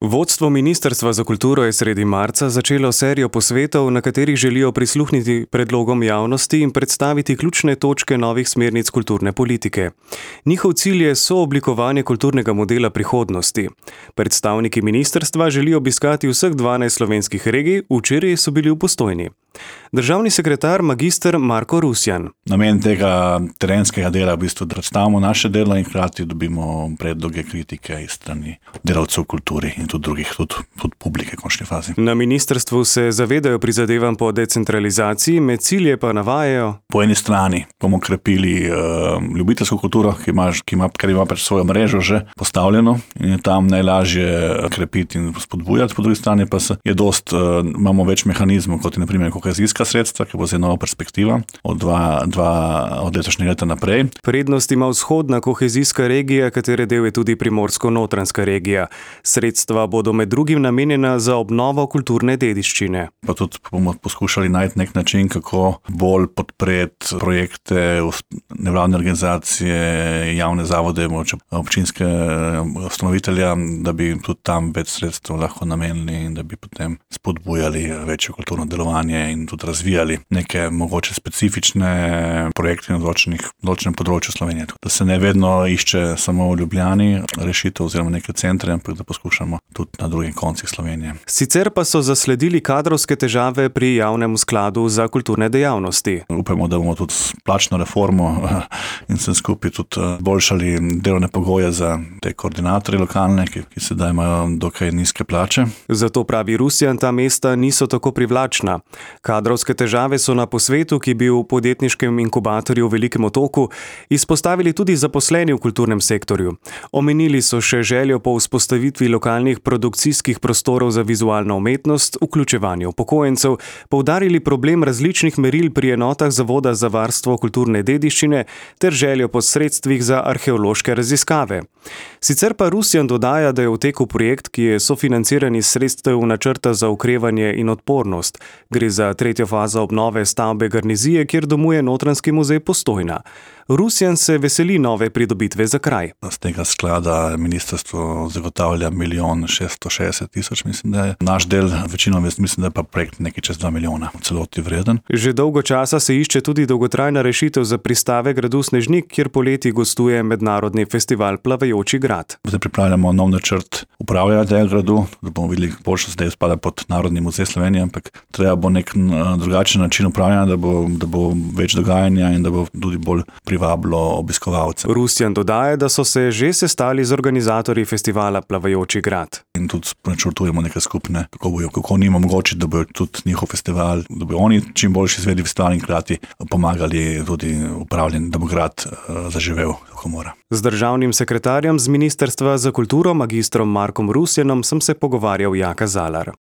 Vodstvo Ministrstva za kulturo je sredi marca začelo serijo posvetov, na katerih želijo prisluhniti predlogom javnosti in predstaviti ključne točke novih smernic kulturne politike. Njihov cilj je sooblikovanje kulturnega modela prihodnosti. Predstavniki ministrstva želijo obiskati vseh 12 slovenskih regij, včeraj so bili v Postojni. Državni sekretar magister Marko Rusjan. Namen tega terenskega dela je v bistvu, da predstavimo naše delo in hkrati dobimo predloge, kritike iz strani delavcev v kulturi in tudi drugih, tudi publike v končni fazi. Na ministrstvu se zavedajo prizadevanj po decentralizaciji, med cilje pa navajajo: Po eni strani bomo krepili ljubiteljsko kulturo, ker ima pač svojo mrežo že postavljeno in je tam najlažje krepiti in spodbujati, po drugi strani pa imamo več mehanizmov, kot je na primer kohezijska sredstva, ki bo zdaj nova perspektiva od letošnjega leta naprej. Prednost ima vzhodna kohezijska regija, katere del je tudi primorsko-notranjska regija. Sredstva bodo med drugim namenjena za obnovo kulturne dediščine. Pa tudi bomo poskušali najti nek način, kako bolj podpreti projekte nevladne organizacije, javne zavode, občinske ustanovitelja, da bi tudi tam več sredstev lahko namenili in da bi potem spodbujali večje kulturno delovanje in tudi razvijali neke mogoče specifične projekte na določenem področju Slovenije. Da se ne vedno išče samo v Ljubljani rešitev oziroma neke centre, ampak da poskušamo tudi na drugih koncih Slovenije. Sicer pa so zasledili kadrovske težave pri javnem skladu za kulturne dejavnosti. Upamo, da bomo tudi s plačno reformo in vsem skupaj tudi boljšali delovne pogoje za te koordinatorje lokalne, ki sedaj imajo dokaj nizke plače. Zato pravi Rusjan, ta mesta niso tako privlačna. Kadrovske težave so na posvetu, ki je bil v podjetniškem inkubatorju v Velikem Otoku, izpostavili tudi zaposleni v kulturnem sektorju. Omenili so še željo po vzpostavitvi lokalnih produkcijskih prostorov za vizualno umetnost, vključevanje upokojencev, poudarili problem različnih meril pri enotah Zavoda za varstvo kulturne dediščine ter željo po sredstvih za arheološke raziskave. Sicer pa Rusjan dodaja, da je v teku projekt, ki je sofinanciran iz sredstev načrta za okrevanje in odpornost. Gre za tretjo fazo obnove stavbe Garnizije, kjer domuje Notranjski muzej Postojna. Rusjan se veseli nove pridobitve za kraj. Z tega sklada ministrstvo zagotavlja 1 660 000, mislim, da je. Naš del, večino mislim, da je pa projekt nekaj čez 2 milijona, v celoti vreden. Že dolgo časa se išče tudi dolgotrajna rešitev za pristave gradu Snežnik, kjer poleti gostuje mednarodni festival Plavajoči grad. Zdaj pripravljamo nov načrt upravljanja tega gradu, da bomo videli, boljše zdaj spada pod Narodni muzej Slovenije, ampak treba bo nek drugačen način upravljanja, da bo več dogajanja in da bo tudi bolj privabilo obiskovalce. Rusjan dodaja, da so se že sestali z organizatorji festivala Plavajoči grad. In tudi načrtujemo neke skupne, kako njim omogočiti, da bojo tudi njihov festival, da bojo oni čim boljši izvedli festival in hkrati pomagali tudi upravljanju, da bo grad zaživel, kako mora. Z državnim sekretarjem z Ministrstva za kulturo, magistrom Markom Rusjanom, sem se pogovarjal Jaka Zalar.